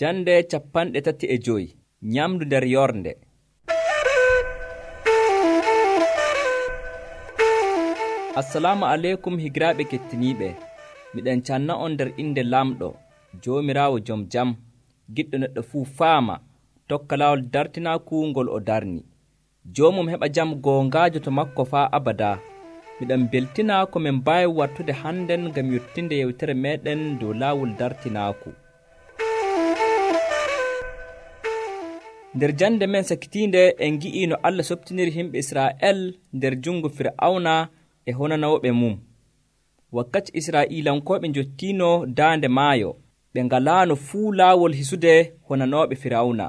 Jande 35 Nyamdu nder yorde. Assalamu alaikum higiraaɓe kettiniiɓe. Miɗen canna on nder inde Lamɗo, Joomiraawo jom jam, giɗɗo neɗɗo fuu faama, tokka laawol dartinaaku ngol o darni. Joomum heɓa jam goongaajo to makko faa abadaa. Miɗen beltina ko min mbaawi wartude hannden ngam yottinde yewtere meeɗen dow laawol dartinaaku. Nder jande men sakitiinde en ngi'i no Allah soptiniri himɓe Israa'el nder jungo Fir'awna e honanawɓe mum. Wakkati Israa'iilankooɓe njottiino daande maayo, ɓe ngalaano fuu laawol hisude honanooɓe Fir'awna.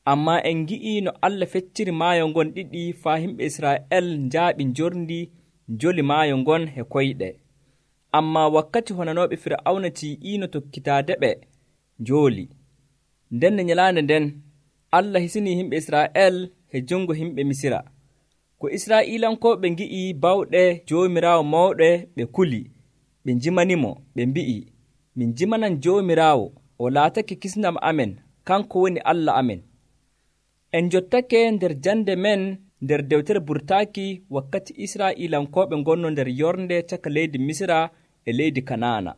Ammaa en ngi'i no Allah fecciri maayo ngon ɗiɗi faa himɓe Israa'el njaaɓi njorndi njoli maayo ngon he koyɗe. Ammaa wakkati honanooɓe Fir'awna tii'iino tokkitaadeɓe njooli. Nden nyalaande nden, Allah hisinii himɓe Israa'el he jungo himɓe Misira. Ko Israa'iilankooɓe ngi'i bawɗe Joomiraawo mawɗe ɓe kuli, ɓe njimanimo, ɓe mbi'i, min njimanan Joomiraawo, o laatake kisndam amen, kanko woni Allah amen. En jottake nder jande men nder dewtere burtaaki wakkati Israa'iilankooɓe ngonno nder yornde caka leydi Misira e leydi Kanaana.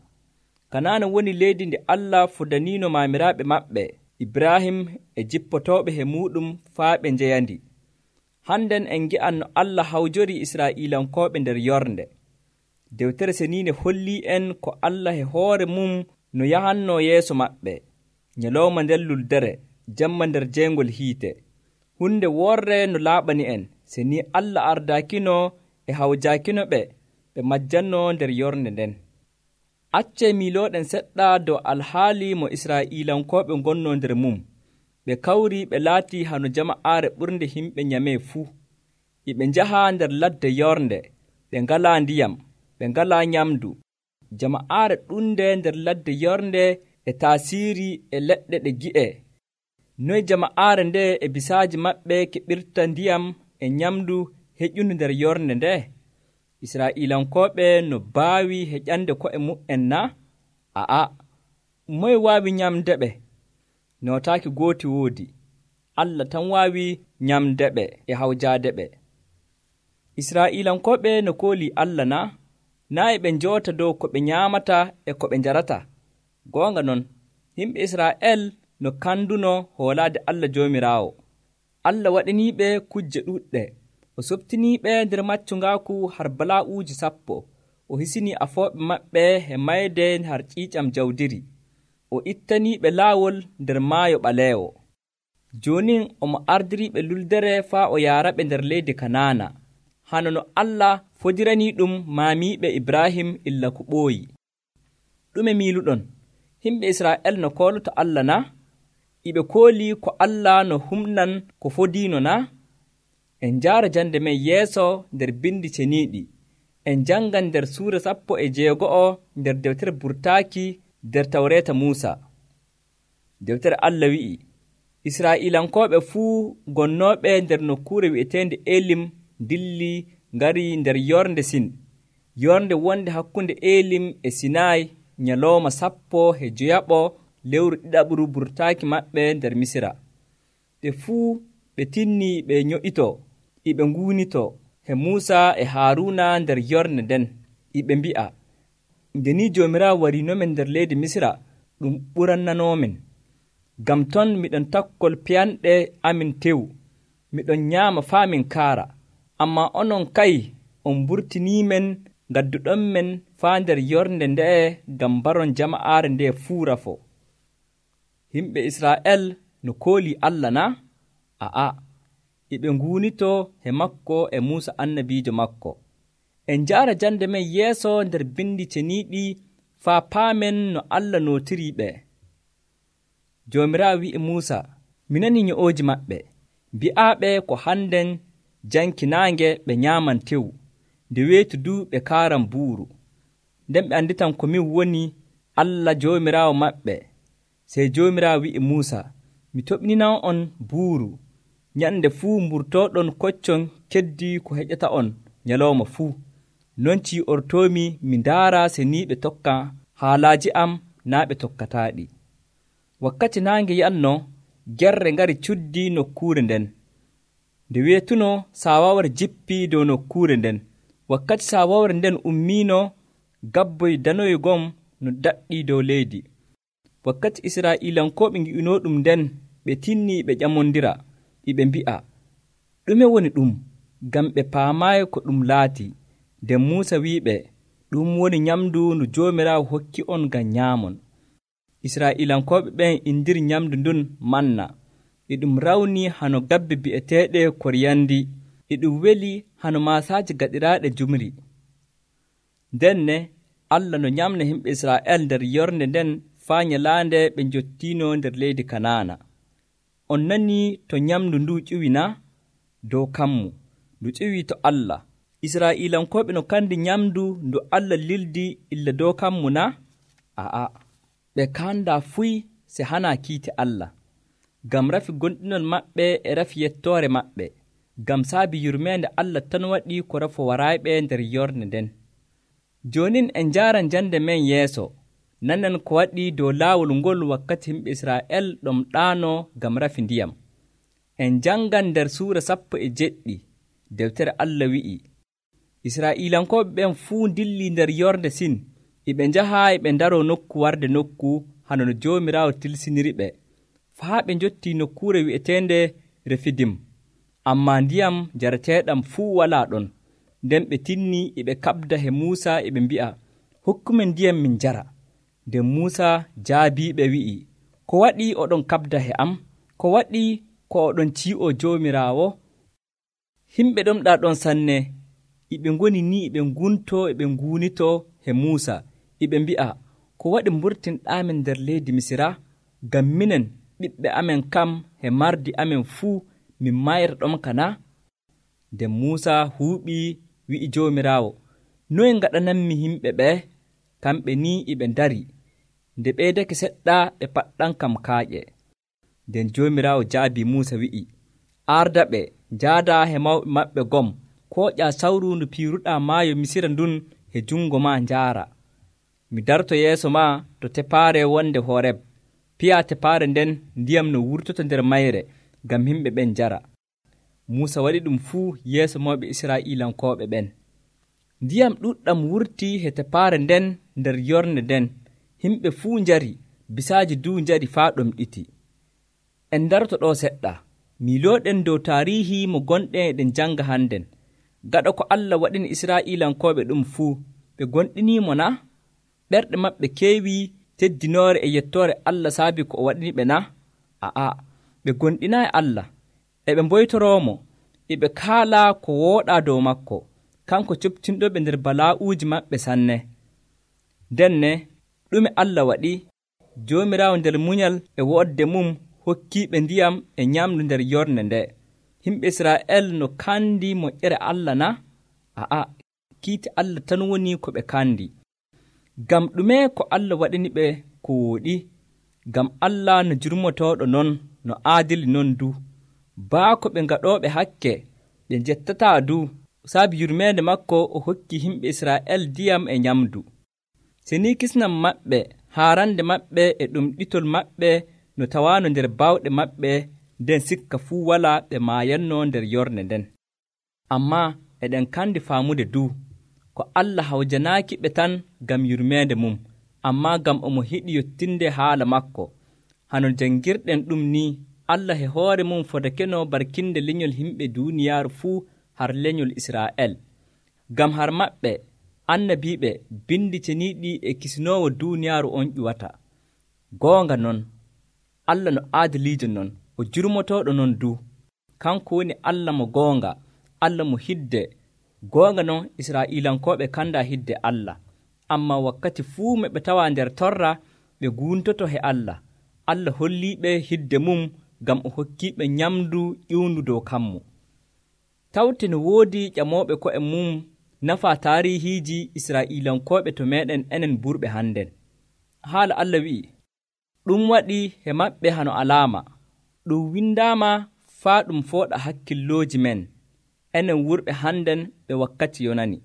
Kanaana woni leydi ndi Allah fudaniino maamiraaɓe maɓɓe, Ibrahim e jippotooɓe he muuɗum faa ɓe njeyandi. Hannden en ngi'an no Allah hawjori Israa'iilankooɓe nder yornde. Dewtere seniinde hollii en ko Allah he hoore mum no yahannoo yeeso maɓɓe, nyalawma nder luldere, jamma nder jeengol hiite. Hunde worre no laaɓani en, se ni Allah ardaakino e hawjaakino ɓe majjannoo nder yornde nden. Accee miilooɗen seɗɗa dow alhaali mo Israa'iilankooɓe ngonnoo nder mum. Ɓe kawri ɓe laatii hano jama'aare ɓurnde himɓe nyamee fuu. Ɓe njahaa nder ladde yornde, ɓe ngalaa ndiyam, ɓe ngalaa nyamdu. Jama'aare ɗunde nder ladde yornde e taasiiri e leɗɗe ɗe gi'e. Noy jama'aare nde e bisaaji maɓɓe keɓirta ndiyam e nyamdu heƴundu nder yornde nde? Israa'iilankooɓe no baawi heƴande ko'e mu'en na? A'a, moye waawi nyamde ɓe? Nootaaki gooti woodi. Allah tan waawi nyamde ɓe e hawjaade ɓe. Israa'iilankooɓe no koolii Allah na? Naa e ɓe njoota dow ko ɓe nyaamata e ko ɓe njarata. Goonga non, yimɓe Israa'el no kanduno hoolaade Allah Joomiraawo. Allah waɗaniiɓe kujje ɗuɗɗe. O softiniiɓe nder maccungaaku har balaa'uuji 10. O hisinii afooɓe maɓɓe e mayde har ƴiiƴam jawdiri. O ittaniiɓe laawol nder maayo ɓaleewo. Joonin omo ardiriiɓe luldere faa o yaaraɓe nder leydi Kanaana, hano no Allah fodiranii ɗum maamiiɓe Ibrahim illa ko ɓooyi. Ɗume miiluɗon? Himɓe Israa'el no kooloto Allah na? Iɓe koolii ko Allah no humnan ko fodiino na? En njaara jande men yeeso nder bindi ceniiɗi. En janngan nder suura 16 nder dewtere burtaaki nder Tawreeta Muusa. Dewtere Allah wi'i, Israa'iilankooɓe fuu gonnooɓe nder nokkuure wi'eteende Elim dilli ngari nder yornde Sin, yornde wonde hakkunde Elim e Sinaay nyalawma 15 lewru ɗiɗaɓru burtaaki maɓɓe nder Misira. Ɓe fuu ɓe tinnii ɓe nyo'itoo, iɓe nguunitoo he Muusa e Haaruuna nder yornde nden, iɓe mbi'a, nde ni Joomiraawo wariinomen nder leydi Misira, ɗum ɓurannanoomen. Ngam ton miɗon takkol piyanɗe amin tew, miɗon nyaama faa min kaara. Ammaa onon kay on mburtiniimen ngadduɗonmen faa nder yornde nde'e ngam mbaron jama'aare nde fuu rafo. Himɓe Israa'el no koolii Allah na? A'a, iɓe nguunitoo he makko e Muusa annabiijo makko. En njaara jande men yeeso nder bindi ceniiɗi faa paamen no Allah nootirii ɓe. Joomiraawo wi'i Muusa, mi nanii nyo'ooji maɓɓe, mbi'aaɓe ko hannden janki naange ɓe nyaaman tew, nde weetu du ɓe kaaran buuru. Nden ɓe anditan ko min woni Allah Joomiraawo maɓɓe. Sey Joomiraawo wi'i Muusa, mi toɓninan on buuru, nyande fuu mburtooɗon koccon keddi ko heƴata on nyalawma fuu. Non cii'ortoomi mi ndaara se ni ɓe tokka haalaaji am naa ɓe tokkataaɗi. Wakkati naange yi'anno, gerre ngari cuddi nokkuure nden. Nde weetuno saawawre jippii dow nokkuure nden. Wakkati saawawre nden ummiino, gabboy danoy gom no daɗɗii dow leydi. Wakkati Israa'iilankooɓe ngi'unoo ɗum nden, ɓe tinnii ɓe ƴamondira, ɓe mbi'a, ɗume woni ɗum? Ngam ɓe paamaayi ko ɗum laati. Nden Muusa wi'iɓe, ɗum woni nyamndu ndu Joomiraawo hokki on ngam nyaamon. Israa'iilankooɓe ɓen indiri nyamndu ndun manna. E ɗum rawnii hano gabbe bi'eteeɗe koriyandi. E ɗum weli hano maasaaji gaɗiraaɗe jumri. Ndenne Allah no nyamna himɓe Israa'el nder yornde nden faa nyalaande ɓe njottiino nder leydi Kanaana. On nanii to nyamndu ndu ƴiwi na? Dow kammu, ndu ƴiwii to Allah. Israa'iilankooɓe no kandi nyamndu ndu Allah lildi illa dow kammu na? Aa, ɓe kaandaa fuy se hanaa kiite Allah. Ngam rafi gonɗinol maɓɓe e rafi yettoore maɓɓe. Ngam saabi yurmeende Allah tan waɗi ko rafo warayɓe nder yornde nden. Joonin en njaaran jande men yeeso, nanen ko waɗi dow laawol ngol wakkati himɓe Israa'el ɗom ɗaano ngam rafi ndiyam. En jangan nder suura 17 deftere Allah wi'i, Israa'iilankooɓe ɓen fuu ndilli nder yorde Sin, ɓe njahaa ɓe ndaroo nokku warde nokku hano no Joomiraawo tilsiniri ɓe, faa ɓe njottii nokkuure wi'eteende Refidim. Ammaa ndiyam jarateeɗam fuu walaa ɗon. Nden ɓe tinnii ɓe kaɓda he Muusa ɓe mbi'a, hokkumen ndiyam min njara. Nden Muusa jaabiiɓe wi'i, ko waɗi oɗon kaɓda he am? Ko waɗi ko oɗon cii'oo Joomiraawo? Himɓe ɗon ɗaa ɗon sanne, ɓe ngoni ni ɓe nguntoo ɓe nguunitoo he Muusa, ɓe mbi'a, ko waɗi mburtinɗaamen nder leydi Misira? Ngam minen ɓiɓɓe amen kam he mardi amen fuu min mayra ɗon kana? Nden Muusa huuɓii wi'i Joomiraawo, noye ngaɗananmi yimɓe ɓe? Kamɓe ni ɓe ndari. Nde ɓeydake seɗɗa ɓe paɗɗan kam kaaƴe. Nden Joomiraawo jaabii Muusa wi'i, arda ɓe njaadaa he mawɓe maɓɓe gom, kooƴaa sawru ndu piiruɗaa maayo Misira ndun he jungo maa njaara. Mi darto yeeso maa to tepaare wonde Horeb. Piyaa tepaare nden ndiyam no wurtoto nder mayre, ngam yimɓe ɓen njara. Muusa waɗi ɗum fuu yeeso mawɓe Israa'iilankooɓe ɓen. Ndiyam ɗuɗɗam wurtii he tepaare nden nder yornde nden. Yimɓe fuu njari, bisaaji duu njari faa ɗom ɗiti. En darto ɗo seɗɗa, miilooɗen dow taariihi mo gonɗen eɗen janga hannden. Gaɗa ko Allah waɗini Israa'iilankooɓe ɗum fuu, ɓe gonɗiniimo na? Ɓerɗe maɓɓe keewii teddinoore e yettoore Allah saabi ko o waɗini ɓe na? Aa, ɓe gonɗinaayi Allah, ɓe mboytoroomo, ɓe kaalaa ko wooɗaa dow makko, kanko coptinɗoɓe nder balaa'uuji maɓɓe sanne. Ndenne, ɗume Allah waɗi? Joomiraawo nder munyal e woɗde mum hokkiiɓe ndiyam e nyamdu nder yornde nde. Himɓe Israa'el no kandi moƴƴere Allah na? Aa, kiite Allah tan woni ko ɓe kandi. Ngam ɗume ko Allah waɗini ɓe ko wooɗi? Ngam Allah no jurmotooɗo non, no aadili non du. Baako ɓe ngaɗooɓe hakke, ɓe njettataa du. Saabi yurmeende makko o hokki yimɓe Israa'el ndiyam e nyamdu. Seni kisnam maɓɓe, haarande maɓɓe e ɗum ɗitol maɓɓe no tawaano nder bawɗe maɓɓe, nden sikka fuu walaa ɓe maayannoo nder yornde nden. Ammaa eɗen kandi faamude du, ko Allah hawjanaaki ɓe tan ngam yurmeende mum, ammaa ngam omo hiɗi yottinde haala makko. Hano janngirɗen ɗum ni, Allah he hoore mum fodakeno barkinde lenyol yimɓe duuniyaaru fuu har lenyol Israa'el. Ngam har maɓɓe, annabiiɓe bindi ceniiɗi e kisinoowo duuniyaaru on ƴuwata. Goonga non, Allah no aadiliijo non, o jurmotooɗo non du. Kanko woni Allah mo goonga, Allah mo hidde. Goonga non Israa'iilankooɓe kandaa hidde Allah. Ammaa wakkati fuu ɓe tawaa nder torra, ɓe guuntoto he Allah. Allah holliiɓe hidde mum ngam o hokkiiɓe nyamdu ƴiwndu dow kammu. Tawte no woodi ƴamooɓe ko'e mum nafaa taariihiiji Israa'iilankooɓe to meeɗen enen burɓe hannden. Haala Allah wi'i, ɗum waɗi he maɓɓe hano alaama. Ɗum windaama faa ɗum fooɗa hakkillooji men, enen wurɓe hannden ɓe wakkati yonani.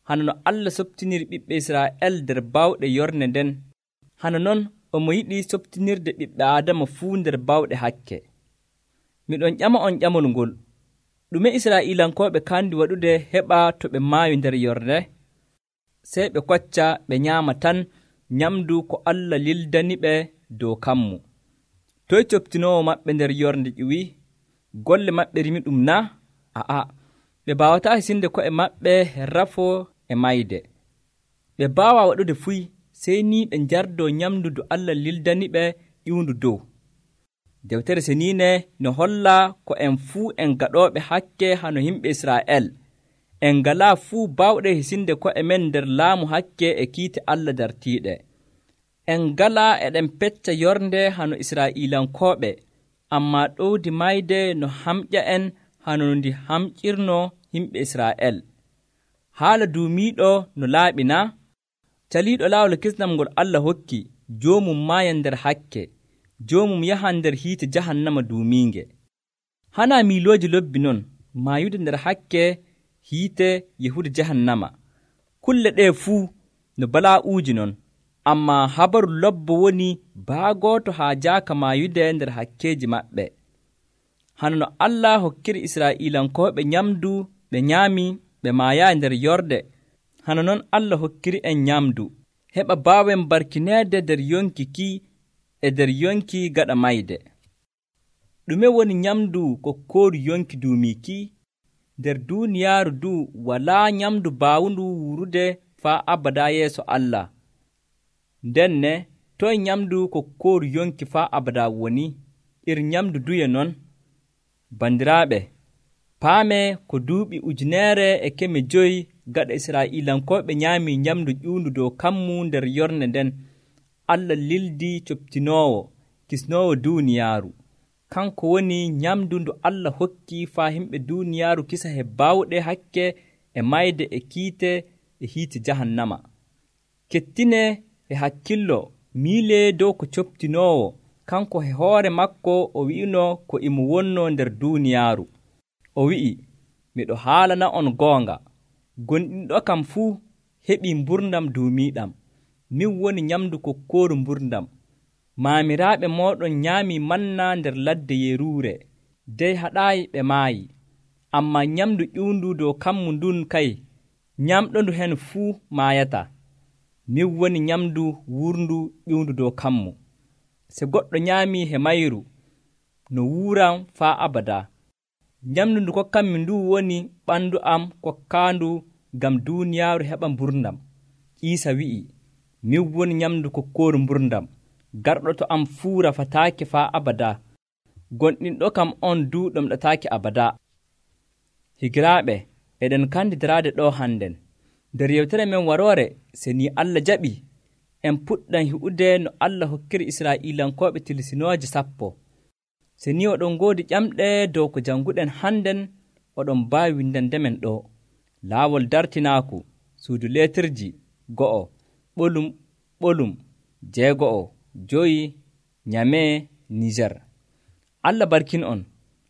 Hano no Allah softiniri ɓiɓɓe Israa'el nder bawɗe yorne nden, hano non omo yiɗi softinirde ɓiɓɓe Aadama fuu nder bawɗe hakke. Miɗon ƴama on ƴamol ngol, ɗume Israa'iilankooɓe kandi waɗude heɓa to ɓe maayi nder yorde? Sey ɓe kocca ɓe nyaama tan nyamdu ko Allah lildaniɓe dow kammu. Toy coftinoowo maɓɓe nder yorde ƴiwi? Golle maɓɓe rimi ɗum na? A'a, ɓe baawataa hisinde ko'e maɓɓe rafoo e mayde. Ɓe baawaa waɗude fuy sey ni ɓe njardoo nyamdu ndu Allah lildaniɓe ƴiwndu dow. Dewtere Seniine no hollaa ko en fuu en gaɗooɓe hakke hano yimɓe Israa'el. En ngalaa fuu baawɗe hisinde ko'e men nder laamu hakke e kiite Allah dartiiɗe. En ngalaa eɗen pecca yorde hano Israa'iilankooɓe, ammaa ɗowdi mayde no hamƴa en hano ndi hamƴirnoo yimɓe Israa'el. Haala duumiiɗo no laaɓi na? Caliiɗo laawol kisnam ngol Allah hokki, joomum maayan nder hakke, joomum yahan nder hiite jahannama duumiinge. Hanaa miilooji lobbi non, maayude nder hakke hiite yehude jahannama. Kulle ɗee fuu no balaa'uuji non, ammaa habaru lobbo woni baagooto haa jaaka maayude nder hakkeeji maɓɓe. Hano no Allah hokkiri Israa'iilankooɓe nyamdu ɓe nyaami ɓe maayaayi nder yorde, hano non Allah hokkiri en nyamdu, heɓa baawen barkineede nder yonki ki e nder yonki gaɗa mayde. Ɗume woni nyamdu kokkooru yonki duumiiki? Nder duuniyaaru du walaa nyamdu baawundu wurude faa abadaa yeeso Allah. Ndenne toy nyamdu kokkooru yonki faa abadaa woni? Nyamdu duye non? Bandiraaɓe, paamee ko duuɓi 1,500 gaɗa Israa'iilankooɓe nyaamii nyamdu ƴuundu dow kammu nder yornde nden, Allah lildii coftinoowo, kisnoowo duuniyaaru. Kanko woni nyamdu ndu Allah hokki faa yimɓe duuniyaaru kisa he baawɗe hakke e mayde e kiite e hiite jahannama. Kettinee e hakkillo miilee dow ko coftinoowo, kanko he hoore makko o wi'inoo ko imo wonnoo nder duuniyaaru. O wi'i, miɗo haalana on goonga, gonɗinɗo kam fuu heɓii mburdam duumiiɗam. Min woni nyamdu kokkooru mburdam. Maamiraaɓe mooɗon nyaamii manna nder ladde yeruure, dey haɗaayi ɓe maayi. Ammaa nyamdu ƴuundu dow kammu ndun kay, nyamɗondu hen fuu maayata. Min woni nyamdu wurndu ƴuundu dow kammu. Se goɗɗo nyaamii he mayru, no wuuram faa abadaa. Nyamdu ndu kokkanmi ndu woni ɓandu am kokkaandu ngam duuniyaaru heɓa mburdam. Iisa wi'i, min woni nyamdu kokkooru mburdam. Garɗo to am fuu rafataake faa abadaa. Gonɗinɗo kam on du ɗomɗataake abadaa. Higiraaɓe, eɗen kandi daraade ɗo hannden. Nder yewtere men waroore, se ni Allah jaɓi, en puɗɗan hi'ude no Allah hokkiri Israa'iilankooɓe tilsinooje 10. Se ni oɗon ngoodi ƴamɗe dow ko jannguɗen hannden, oɗon mbaawi windandemen ɗo. Laawol dartinaaku, suudu leetirji 1, ɓolum 6, Nyamee, Niger. Allah barkin on,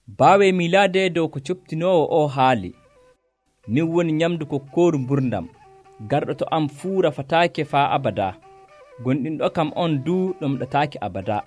baawee miilaade dow ko coftinoowo o haali. Min woni nyamdu kokkooru mburdam. Garɗo to am fuu rafataake faa abadaa. Gonɗinɗo kam on du ɗomɗataake abadaa.